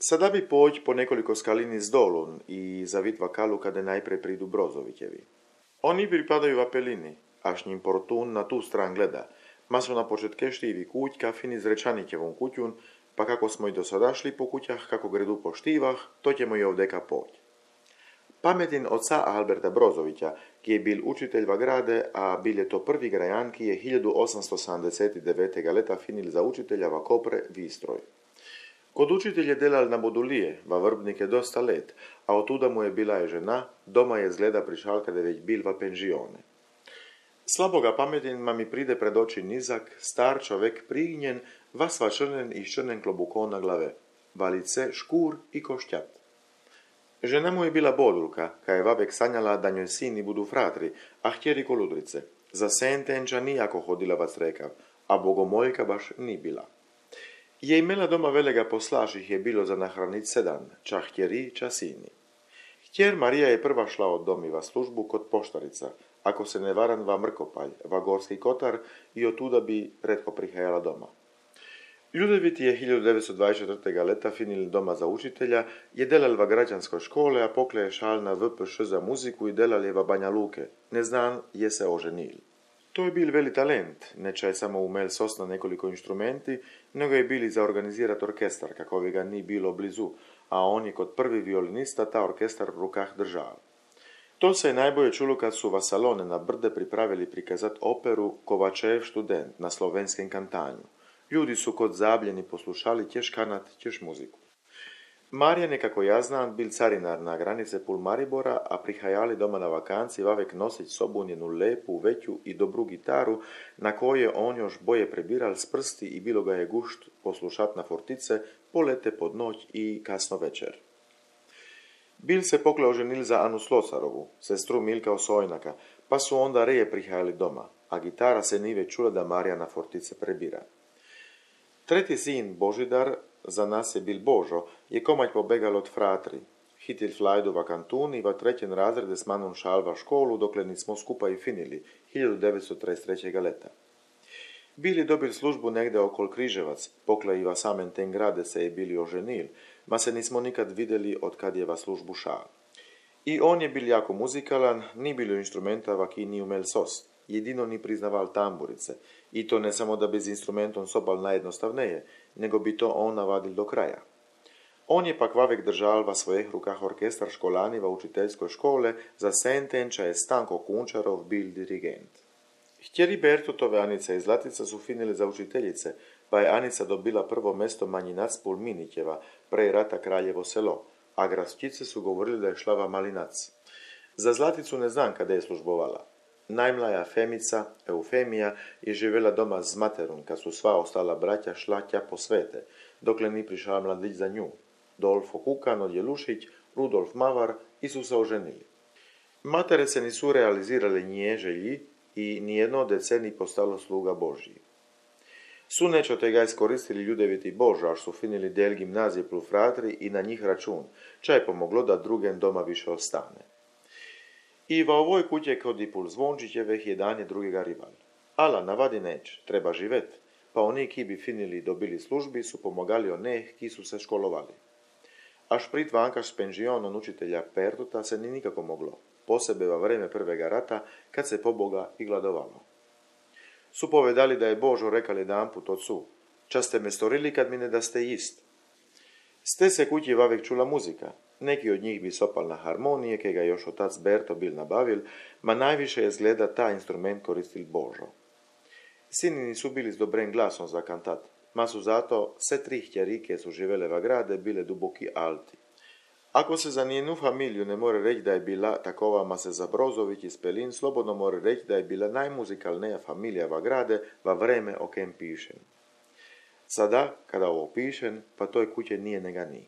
Sada bi poć po nekoliko skalini z dolun i zavit vakalu kada najprej pridu Brozovićevi. Oni pripadaju Apelini, až njim Portun na tu stran gleda, ma su na početke štivi kuć kafini z Rečanićevom kućun, pa kako smo i do sada šli po kućah, kako gredu po štivah, to ćemo i ovdeka poć. Pametin oca Alberta Brozovića, ki je bil učitelj v grade, a bil je to prvi grajan, ki je 1879. leta finil za učitelja v Kopre Vistroj. Kod učitelj je delal na Bodulije, v Vrbnike dosta let, a otuda mu je bila je žena, doma je zgleda prišal kada je već bil v penžione. Slabo ga pametin ma mi pride pred oči nizak, star čovek prignjen, vasva črnen i črnen klobukon na glave, valice, škur i košťat. Žena mu je bila Bodulka, ka je vavek sanjala da njoj sini budu fratri, a htjeri koludrice. Za sentenča nijako hodila vac rekav, a bogomoljka baš ni bila. Je imela doma velega poslaših je bilo za nahranit 7, ča htjeri, ča sini. Htjer Marija je prva šla od domiva službu kod poštarica, ako se ne varan va Mrkopalj, va Gorski Kotar i otuda bi retko prihajala doma. Ljudevit je 1924. leta finil doma za učitelja, je delal v građanskoj škole, a pokle je šal na VPŠ za muziku i delal je v Banja Luke. Neznan je se oženil. To je bil veli talent, neča je samo umel sosna nekoliko inštrumenti, nego je bili za organizirat orkestar, kakovi ga ni bilo blizu, a on je kod prvi violinista ta orkestar v rukah držal. To se je najbolje čulo kad su v salone na Brde pripravili prikazat operu Kovačev študent na slovenskem kantanju. Ljudi su kod zabljeni poslušali tješ kanat, tješ muziku. Marjan je, kako ja znam, bil carinar na granice pul Maribora, a prihajali doma na vakanci vavek nosić sobu njenu lepu, veću i dobru gitaru, na koje on još boje prebiral s prsti i bilo ga je gušt poslušat na fortice, polete pod noć i kasno večer. Bil se pokle oženil za Anu Slocarovu, sestru Milka Osojnaka, pa su onda reje prihajali doma, a gitara se nive čula da Marija na fortice prebira. Treti sin, Božidar, za nas je bil Božo, je komaj pobegal od fratri. Hitil flajdu v kantun i v trećem razrede s manom šal v školu, dokle nismo skupaj finili, 1933. leta. Bili dobil službu negde okol Križevac, pokle i v samem ten grade se je bili oženil, ma se nismo nikad videli od kad je v službu šal. I on je bil jako muzikalan, ni bilo instrumenta v ki ni umel sost. Jedino ni priznaval tamburice, i to ne samo da bi z instrumentom sobal najjednostavneje, nego bi to on navadil do kraja. On je pak vavek držal v svojih rukah orkestar školani v učiteljskoj škole, za sentenča je Stanko Kunčarov bil dirigent. Htjeri Bertutove Anica i Zlatica su finili za učiteljice, pa je Anica dobila prvo mesto Manjinac pul Minićeva, prej rata Kraljevo selo, a grastice su govorili da je šla v Malinac. Za Zlaticu ne znam kada je službovala. Najmlaja Femica, Eufemija, je živjela doma z materom, kad su sva ostala braća šla tja po svete, dokle ni prišao mladić za nju. Dolfo Kukan od Jelušić, Rudolf Mavar i su se oženili. Matere se nisu realizirale nije želji i nijedno deceni postalo sluga Božji. Su nečo tega iskoristili ljudeviti Božo, až su finili del gimnazije plus fratri i na njih račun, ča je pomoglo da drugem doma više ostane. I v ovoj kuće kod i pul Zvončićeveh je danje drugega rival. Ala, navadi neć, treba živet, pa oni ki bi finili i dobili službi su pomagali oneh ki su se školovali. Až prit vankaš s penžionom učitelja Pertuta se ni nikako moglo, posebe va vreme prvega rata, kad se poboga i gladovalo. Su povedali da je Božo rekal jedanput ocu, ča ste me storili kad mi ne da ste jist. Ste se kući vavek čula muzika. Neki od njih bi sopal na harmonije, ke ga još otac Berto bil nabavil, ma najviše je zgleda ta instrument koristil Božo. Sini nisu bili s dobrim glasom za kantat, ma su zato se 3 htjerike su živele v grade bile duboki alti. Ako se za njenu familiju ne more reći da je bila takova, ma se za Brozović iz Pelin slobodno more reći da je bila najmuzikalneja familija v grade va vreme o kem pišem. Sada, kada ovo pišem, pa toj kuće nije nega ni.